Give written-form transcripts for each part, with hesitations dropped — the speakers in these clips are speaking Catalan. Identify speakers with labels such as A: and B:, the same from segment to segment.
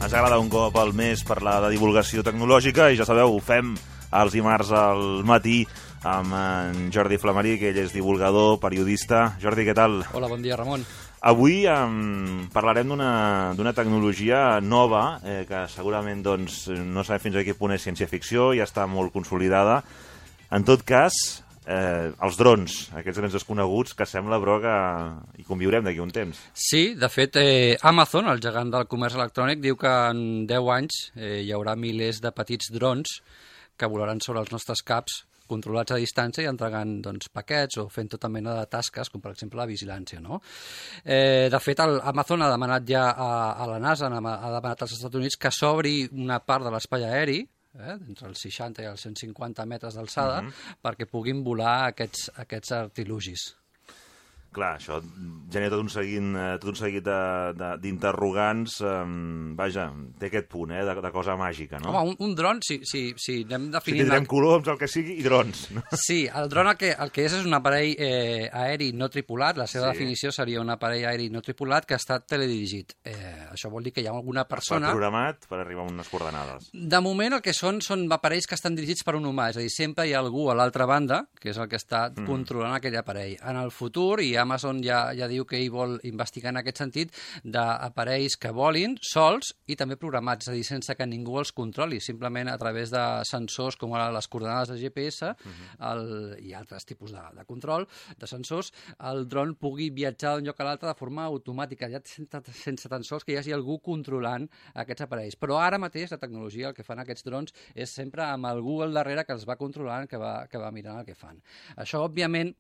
A: Ens agrada un cop al mes parlar de divulgació tecnològica i ja sabeu, ho fem els dimarts al matí amb en Jordi Flamarí, que ell és divulgador, periodista. Jordi, què tal?
B: Hola, bon dia, Ramon.
A: Avui parlarem d'una tecnologia nova que segurament no sabem fins a quin punt és ciència-ficció, ja està molt consolidada. En tot cas, els drons, aquests grans desconeguts, que sembla, però, que hi conviurem d'aquí un temps.
B: Sí, de fet, Amazon, el gegant del comerç electrònic, diu que en 10 anys hi haurà milers de petits drons que volaran sobre els nostres caps, controlats a distància i entregant paquets o fent tota mena de tasques, com per exemple la vigilància, no? De fet, Amazon ha demanat ja a la NASA, ha demanat als Estats Units que s'obri una part de l'espai aeri, entre els 60 i els 150 metres d'alçada, perquè puguin volar aquests artilugis.
A: Clar, això genera tot un seguit d'interrogants. Vaja, té aquest punt, de cosa màgica, no?
B: Home, un dron, si anem definint...
A: Si tindrem coloms, el que sigui, i drons. No?
B: Sí, el dron el que és un aparell aeri no tripulat. La seva definició seria un aparell aeri no tripulat que ha estat teledirigit. Això vol dir que hi ha alguna persona...
A: Programat per arribar a unes coordenades.
B: De moment el que són aparells que estan dirigits per un humà, és a dir, sempre hi ha algú a l'altra banda, que és el que està controlant aquell aparell. En el futur, i Amazon ja diu que ell vol investigar en aquest sentit, d'aparells que volin sols i també programats, és a dir, sense que ningú els controli, simplement a través de sensors com ara les coordenades de GPS i altres tipus de control, de sensors, el dron pugui viatjar d'un lloc a l'altre de forma automàtica, ja sense tan sols que hi hagi algú controlant aquests aparells. Però ara mateix la tecnologia, el que fan aquests drons, és sempre amb algú al darrere que els va controlant, que va mirant el que fan. Això, òbviament,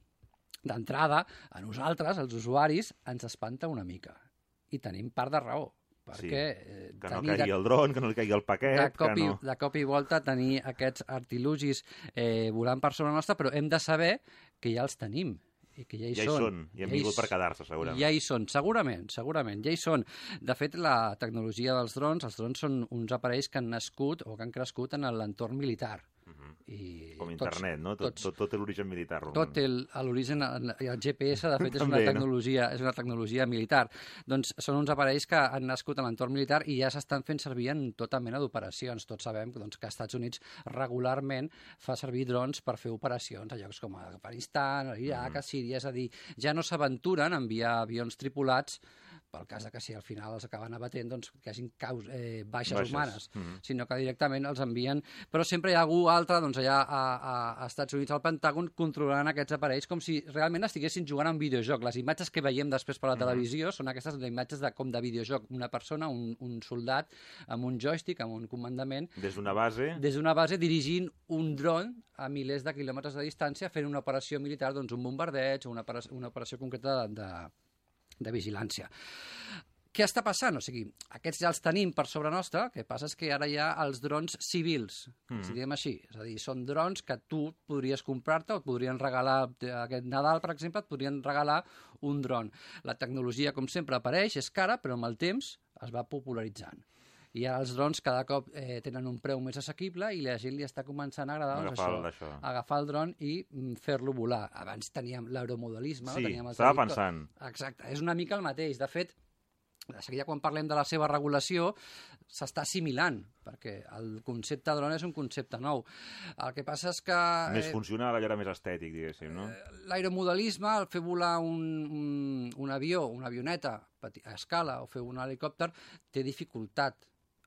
B: d'entrada, a nosaltres, els usuaris, ens espanta una mica. I tenim part de raó. Perquè
A: que no caigui el dron, que no li caigui el paquet...
B: De cop i volta tenir aquests artilugis volant per sobre nostra, però hem de saber que ja els tenim. I que ja hi són.
A: I han vingut per quedar-se, segurament.
B: Ja hi són, segurament, ja hi són. De fet, la tecnologia dels drons, els drons són uns aparells que han nascut o que han crescut en l'entorn militar.
A: Com internet, no? Tot té l'origen militar.
B: Tot té l'origen... El GPS, de fet, és una tecnologia militar. Doncs són uns aparells que han nascut en l'entorn militar i ja s'estan fent servir en tota mena d'operacions. Tots sabem que als Estats Units regularment fa servir drons per fer operacions a llocs com Afganistan, Iraq, a Síria. És a dir, ja no s'aventuren a enviar avions tripulats pel cas que si al final els acaben abatent, que hagin baixes humanes, sinó que directament els envien. Però sempre hi ha algú altre, allà a Estats Units, al Pentàgon, controlant aquests aparells com si realment estiguessin jugant a un videojoc. Les imatges que veiem després per la televisió són aquestes imatges com de videojoc. Una persona, un soldat, amb un joystick, amb un comandament...
A: Des d'una base?
B: Des d'una base, dirigint un dron a milers de quilòmetres de distància, fent una operació militar, un bombardeig o una operació concreta de vigilància. Què està passant? O sigui, aquests ja els tenim per sobre nostra, el que passa és que ara hi ha els drons civils, si diguem així. És a dir, són drons que tu podries comprar-te o et podrien regalar, aquest Nadal, per exemple, et podrien regalar un dron. La tecnologia, com sempre, apareix, és cara, però amb el temps es va popularitzant. I ara els drons cada cop tenen un preu més assequible i la gent li està començant a agradar agafar el dron i fer-lo volar. Abans teníem l'aeromodelisme.
A: Sí, estava pensant.
B: Exacte, és una mica el mateix. De fet, de seguida quan parlem de la seva regulació s'està assimilant, perquè el concepte dron és un concepte nou. El que passa és que...
A: Més funcional, allò era més estètic, diguéssim, no?
B: L'aeromodelisme, el fer volar un avió, una avioneta a escala o fer un helicòpter, té dificultat.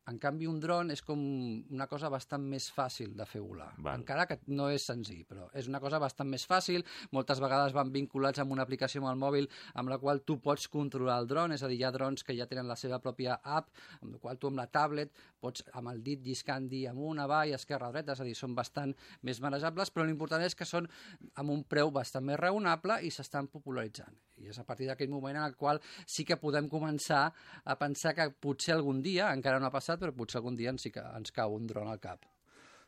B: En canvi, un dron és com una cosa bastant més fàcil de fer volar. Encara que no és senzill, però és una cosa bastant més fàcil. Moltes vegades van vinculats amb una aplicació amb el mòbil amb la qual tu pots controlar el dron, és a dir, hi ha drons que ja tenen la seva pròpia app, amb la qual tu amb la tablet pots amb el dit lliscant dir amunt, avall, esquerra, dreta, és a dir, són bastant més manejables, però l'important és que són amb un preu bastant més raonable i s'estan popularitzant. I és a partir d'aquell moment en el qual sí que podem començar a pensar que potser algun dia, encara no ha passat, però potser algun dia sí que ens cau un dron al cap.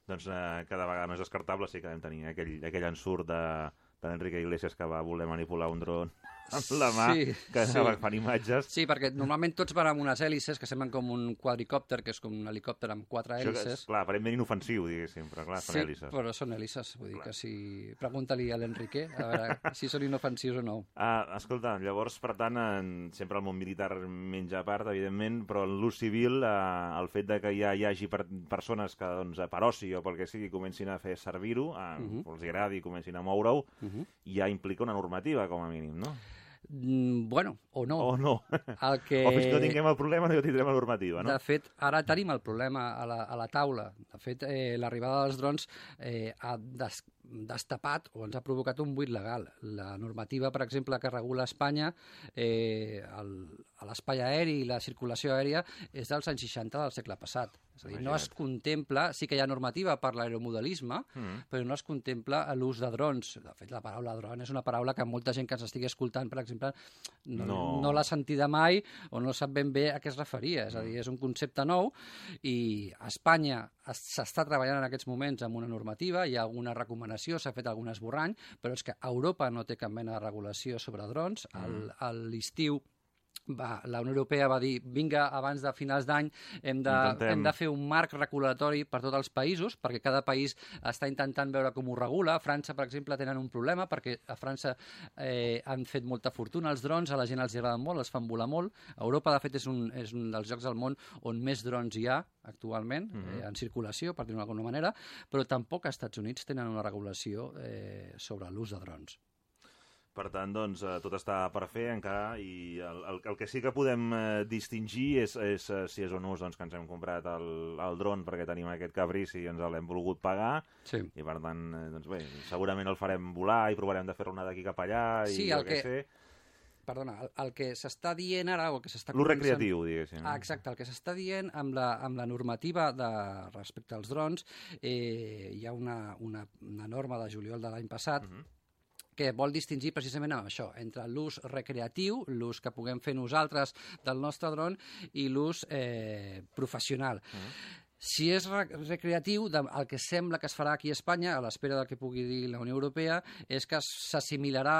A: Doncs cada vegada no és descartable, sí que vam tenir aquell ensurt d'Enrique Iglesias que va voler manipular un dron. amb la mà, que fan imatges.
B: Sí, perquè normalment tots van amb unes hèlices que semblen com un quadricòpter, que és com un helicòpter amb 4 hèlices.
A: Això és, clar, aparentment inofensiu, diguéssim, però clar, són hèlices.
B: Sí, però són hèlices, vull dir que si... Pregunta-li a l'Enrique, a veure si són inofensius o no.
A: Escolta, llavors, per tant, sempre el món militar menja a part, evidentment, però en l'ús civil, el fet de que ja hi hagi persones que, doncs, per oci o pel que sigui, comencin a fer servir-ho, els agradi, comencin a moure-ho, ja implica una normativa, com a mínim, no?
B: Bueno, o no.
A: O no. O fins que no tinguem el problema no tindrem la normativa, no?
B: De fet, ara tenim el problema a la taula. De fet, l'arribada dels drons ha destapat o ens ha provocat un buit legal. La normativa, per exemple, que regula Espanya a l'espai aeri i la circulació aèria és dels anys 60 del segle passat. És a dir, no es contempla, sí que hi ha normativa per l'aeromodelisme, però no es contempla l'ús de drons. De fet, la paraula dron és una paraula que molta gent que ens estigui escoltant, per exemple, no l'ha sentida mai o no sap ben bé a què es referia. És a dir, és un concepte nou i a Espanya s'està treballant en aquests moments amb una normativa, hi ha alguna recomanació, s'ha fet algun esborrany, però és que Europa no té cap mena de regulació sobre drons. A l'estiu la Unió Europea va dir vinga, abans de finals d'any hem de fer un marc regulatori per tots els països, perquè cada país està intentant veure com ho regula. A França, per exemple, tenen un problema, perquè a França han fet molta fortuna els drons, a la gent els agraden molt, els fan volar molt. Europa, de fet, és un dels llocs del món on més drons hi ha actualment, en circulació, per dir-ho d'alguna manera, però tampoc als Estats Units tenen una regulació sobre l'ús de drons.
A: Per tant, doncs, tot està per fer encara i el que sí que podem distingir és si és un ús doncs, que ens hem comprat el dron perquè tenim aquest caprici i ens l'hem volgut pagar i per tant, doncs bé, segurament el farem volar i provarem de fer-ne d'aquí cap allà i el que sé.
B: Perdona, el que s'està dient ara o el que s'està
A: l'ús recreatiu, diguéssim.
B: Exacte, el que s'està dient amb la normativa respecte als drons, hi ha una norma de juliol de l'any passat que vol distingir precisament amb això, entre l'ús recreatiu, l'ús que puguem fer nosaltres del nostre dron, i l'ús professional. Si és recreatiu, el que sembla que es farà aquí a Espanya, a l'espera del que pugui dir la Unió Europea, és que s'assimilarà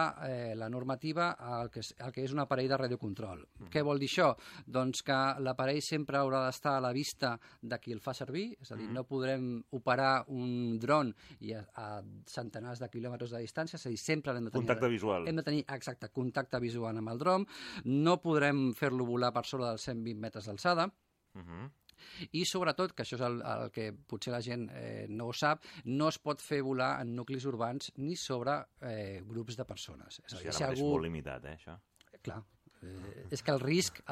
B: la normativa al que és un aparell de radiocontrol. Què vol dir això? Doncs que l'aparell sempre haurà d'estar a la vista de qui el fa servir, és a dir, no podrem operar un dron a centenars de quilòmetres de distància, és a dir, sempre hem de tenir...
A: Contacte visual.
B: Hem de tenir, exacte, contacte visual amb el dron, no podrem fer-lo volar per sobre dels 120 metres d'alçada, i sobretot, que això és el que potser la gent no ho sap, no es pot fer volar en nuclis urbans ni sobre grups de persones. És a dir,
A: si ara és molt limitat, això.
B: Clar, és que el risc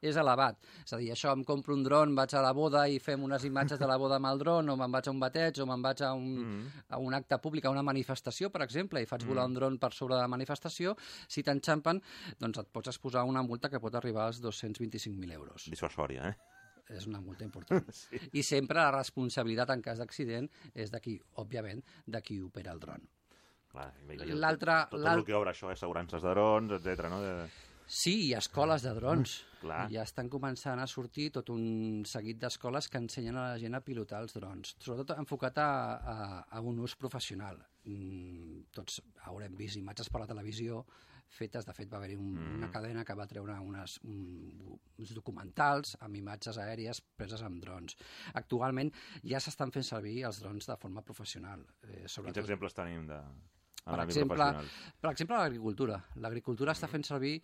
B: és elevat. És a dir, això, em compro un dron, vaig a la boda i fem unes imatges de la boda amb el dron, o me'n vaig a un bateig, o me'n vaig a un acte públic, a una manifestació, per exemple, i faig volar un dron per sobre de la manifestació, si t'enxampen, doncs et pots exposar una multa que pot arribar als 225.000 euros.
A: Dissuasòria,
B: És una multa important. I sempre la responsabilitat en cas d'accident és d'aquí, òbviament, de qui opera el dron.
A: Clar, tot el que obre això, assegurances de drons, etc. no?
B: Sí, hi ha escoles de drons.
A: Ja
B: estan començant a sortir tot un seguit d'escoles que ensenyen a la gent a pilotar els drons, sobretot enfocat a un ús professional. Tots haurem vist imatges per la televisió fetes, de fet va haver-hi una cadena que va treure uns documentals amb imatges aèries preses amb drons. Actualment ja s'estan fent servir els drons de forma professional.
A: Quins exemples tenim de...
B: Per exemple, l'agricultura. L'agricultura està fent servir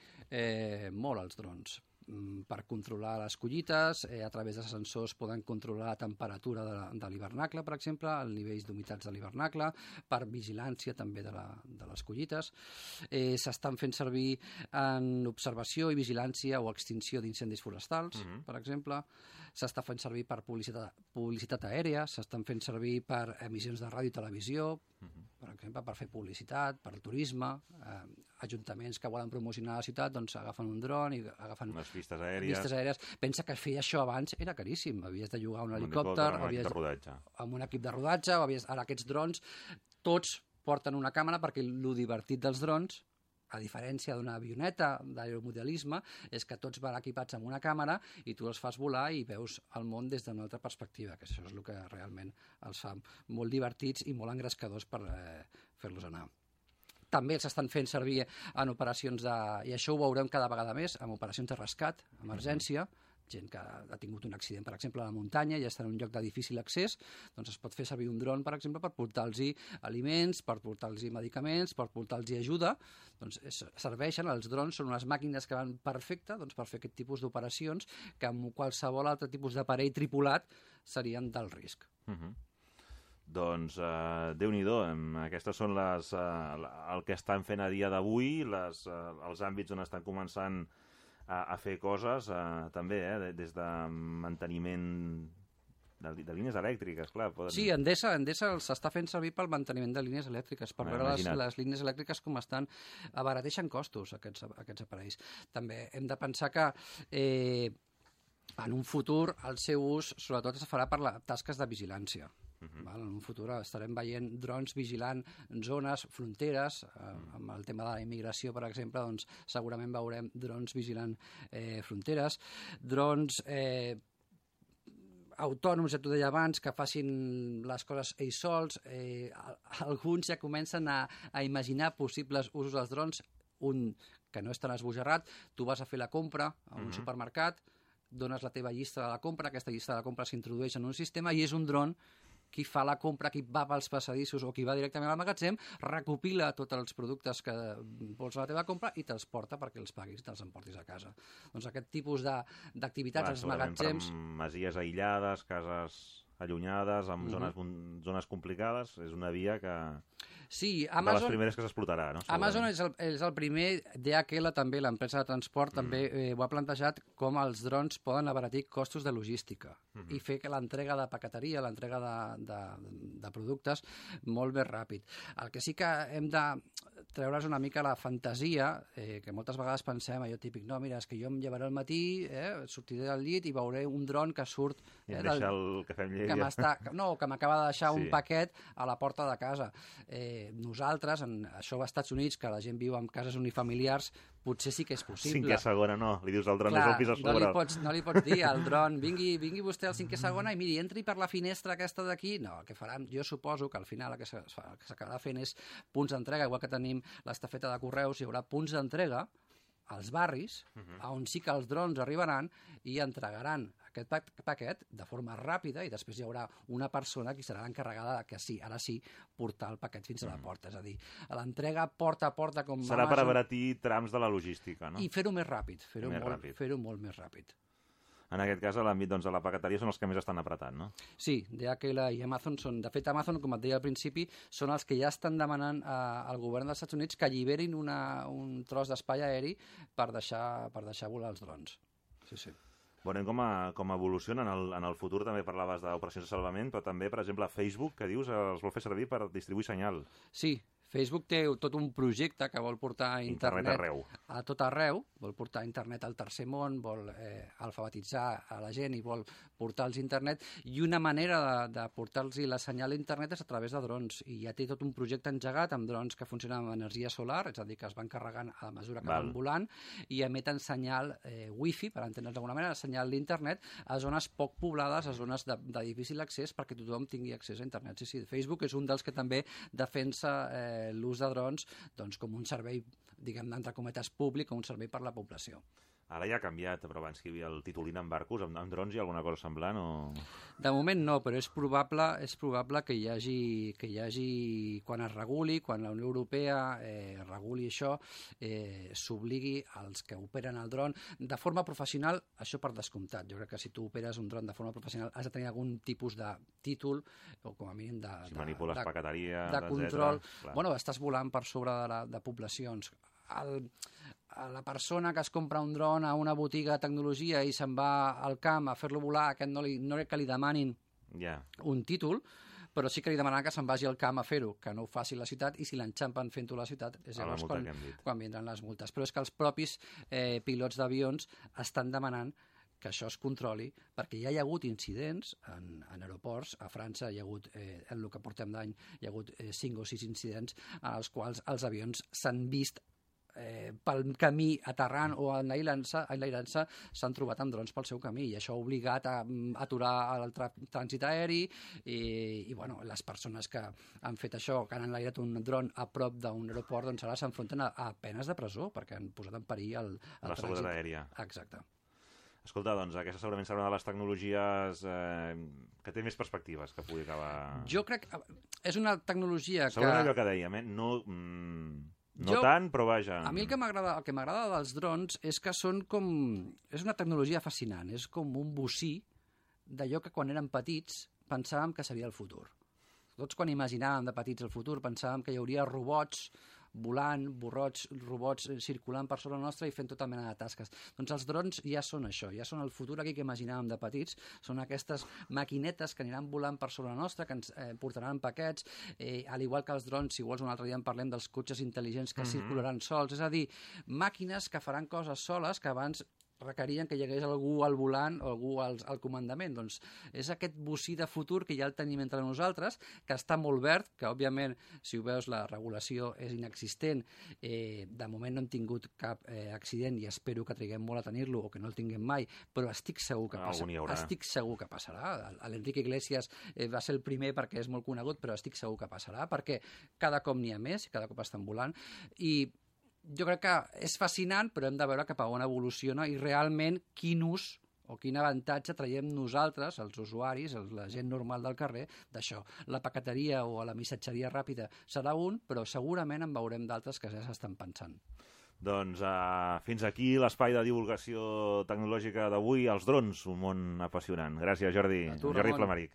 B: molt els drons per controlar les collites, a través de sensors poden controlar la temperatura de l'hivernacle, per exemple, els nivells d'humitats de l'hivernacle, per vigilància també de les collites. S'estan fent servir en observació i vigilància o extinció d'incendis forestals, per exemple. S'està fent servir per publicitat aèria, s'estan fent servir per emissions de ràdio i televisió, per exemple, per fer publicitat, per turisme, ajuntaments que volen promocionar la ciutat, doncs agafen un dron i agafen
A: vistes aèries.
B: Pensa que fer això abans era caríssim. Havies de llogar un helicòpter, amb un equip de rodatge, ara aquests drons, tots porten una càmera perquè el divertit dels drons, a diferència d'una avioneta d'aeromodelisme, és que tots van equipats amb una càmera i tu els fas volar i veus el món des d'una altra perspectiva, que això és el que realment els fa molt divertits i molt engrescadors per fer-los anar. també els estan fent servir en operacions i això ho veurem cada vegada més, en operacions de rescat, emergència, gent que ha tingut un accident, per exemple, a la muntanya i està en un lloc de difícil accés, doncs es pot fer servir un dron, per exemple, per portar-los aliments, per portar-los medicaments, per portar-los ajuda. Doncs serveixen, els drons són unes màquines que van perfecte per fer aquest tipus d'operacions que amb qualsevol altre tipus d'aparell tripulat serien d'alt risc.
A: Doncs Déu-n'hi-do, aquestes són el que estan fent a dia d'avui, els àmbits on estan començant a fer coses, també, des de manteniment de línies elèctriques, clar.
B: Sí, Endesa s'està fent servir pel manteniment de línies elèctriques, per veure les línies elèctriques com estan, abarateixen costos aquests aparells. També hem de pensar que en un futur el seu ús sobretot es farà per tasques de vigilància. En un futur estarem veient drons vigilant zones, fronteres, amb el tema de la immigració, per exemple, doncs segurament veurem drons vigilant fronteres, drons autònoms, ja t'ho deia abans, que facin les coses ells sols. Alguns ja comencen a imaginar possibles usos dels drons, un que no és tan esbojarrat, tu vas a fer la compra a un supermercat, dones la teva llista de la compra, aquesta llista de la compra s'introdueix en un sistema i és un dron qui fa la compra, qui va pels passadissos o qui va directament al magatzem, recopila tots els productes que vols a la teva compra i te'ls porta perquè els paguis i te'ls emportis a casa. Doncs aquest tipus d'activitats als magatzems...
A: Per masies aïllades, cases allunyades, amb zones complicades, és una via que...
B: Sí,
A: Amazon... De les primeres que s'explotarà, no?
B: Amazon és el primer, DHL també, l'empresa de transport, també ho ha plantejat com els drons poden abaratir costos de logística i fer que l'entrega de paqueteria, l'entrega de productes molt més ràpid. El que sí que hem de treure's una mica la fantasia, que moltes vegades pensem, allò típic, no, mira, és que jo em llevaré al matí, sortiré del llit i veuré un dron que surt...
A: I em deixa el cafè amb llet.
B: Que m'acaba de deixar un paquet a la porta de casa. Nosaltres, això als Estats Units, que la gent viu en cases unifamiliars, potser sí que és possible.
A: Cinquè segona, no. Li dius al dron, és el pis a sobre.
B: No li pots dir al dron, vingui vostè al cinquè segona i miri, entri per la finestra aquesta d'aquí. No, el que faran, jo suposo que al final el que s'acabarà fent és punts d'entrega, igual que tenim l'estafeta de correus, hi haurà punts d'entrega als barris, on sí que els drons arribaran i entregaran aquest paquet de forma ràpida i després hi haurà una persona que serà l'encarregada de que sí, ara sí, portar el paquet fins a la porta. És a dir, l'entrega porta a porta com
A: serà per abaratir trams de la logística, no?
B: I fer-ho més ràpid, fer-ho molt més ràpid.
A: En aquest cas, a l'àmbit de la paqueteria són els que més estan apretant, no?
B: Sí, DHL i Amazon són... De fet, Amazon, com et deia al principi, són els que ja estan demanant al govern dels Estats Units que alliberin un tros d'espai aeri per deixar volar els drons. Sí, sí.
A: Veurem com evoluciona. En el futur també parlaves d'operacions de salvament, però també, per exemple, Facebook, que dius, els vol fer servir per distribuir senyal.
B: Sí, Facebook té tot un projecte que vol portar internet a tot arreu, vol portar internet al tercer món, vol alfabetitzar a la gent i vol portar-los internet, i una manera de portar-los la senyal a internet és a través de drons, i ja té tot un projecte engegat amb drons que funcionen amb energia solar, és a dir, que es van carregant a mesura que van volant, i emeten senyal wifi, per entendre's d'alguna manera, senyal d'internet a zones poc poblades, a zones de difícil accés, perquè tothom tingui accés a internet. Sí, Facebook és un dels que també defensa l'ús de drons com un servei, diguem-ne, entre cometes, públic o un servei per la població.
A: Ara ja ha canviat, però abans que hi havia el titulín en barcos, amb drons hi ha alguna cosa semblant o...?
B: De moment no, però és probable que hi hagi, quan es reguli, quan la Unió Europea reguli això, s'obligui als que operen el dron de forma professional, això per descomptat. Jo crec que si tu operes un dron de forma professional has de tenir algun tipus de títol, o com a mínim
A: si manipules paqueteria,
B: de control. Bueno, estàs volant per sobre de poblacions. La persona que es compra un dron a una botiga de tecnologia i se'n va al camp a fer-lo volar, no crec que li demanin un títol, però sí que li demanen que se'n vagi al camp a fer-ho, que no ho faci a la ciutat, i si l'enxampen fent-ho a la ciutat és llavors quan vindran les multes. Però és que els propis pilots d'avions estan demanant que això es controli, perquè ja hi ha hagut incidents en aeroports. A França hi ha hagut, en el que portem d'any, hi ha hagut 5 o 6 incidents en els quals els avions s'han vist pel camí aterrant o enlairant-se s'han trobat amb drons pel seu camí i això ha obligat a aturar el trànsit aeri i bueno, les persones que han fet això, que han enlairat un dron a prop d'un aeroport, doncs ara s'enfronten a penes de presó perquè han posat en perill el
A: la
B: trànsit.
A: seguretat aèria.
B: Exacte.
A: Escolta, doncs aquesta segurament serà una de les tecnologies que té més perspectives que pugui acabar...
B: Jo crec que és una tecnologia que...
A: Segurament allò que dèiem, no tant, però vaja...
B: A mi el que m'agrada dels drons és que són com... És una tecnologia fascinant, és com un bocí d'allò que quan érem petits pensàvem que seria el futur. Tots quan imaginàvem de petits el futur pensàvem que hi hauria robots volant, robots circulant per sobre nostra i fent tota mena de tasques. Doncs els drons ja són això, ja són el futur aquí que imaginàvem de petits, són aquestes maquinetes que aniran volant per sobre nostra, que ens portaran paquets, al igual que els drons, si vols un altre dia en parlem dels cotxes intel·ligents que circularan sols, és a dir, màquines que faran coses soles que abans requerien que hi hagués algú al volant o algú al comandament. Doncs és aquest bocí de futur que ja el tenim entre nosaltres, que està molt verd, que òbviament, si ho veus, la regulació és inexistent. De moment no hem tingut cap accident i espero que triguem molt a tenir-lo o que no el tinguem mai, però estic segur que passarà. Estic segur que passarà. L'Enrique Iglesias va ser el primer perquè és molt conegut, però estic segur que passarà, perquè cada cop n'hi ha més, cada cop estan volant, i jo crec que és fascinant, però hem de veure cap a on evoluciona i realment quin ús o quin avantatge traiem nosaltres, els usuaris, la gent normal del carrer, d'això. La paqueteria o la missatgeria ràpida serà un, però segurament en veurem d'altres que ja s'estan pensant.
A: Doncs fins aquí l'espai de divulgació tecnològica d'avui, els drons, un món apassionant. Gràcies, Jordi. Jordi Flamaric.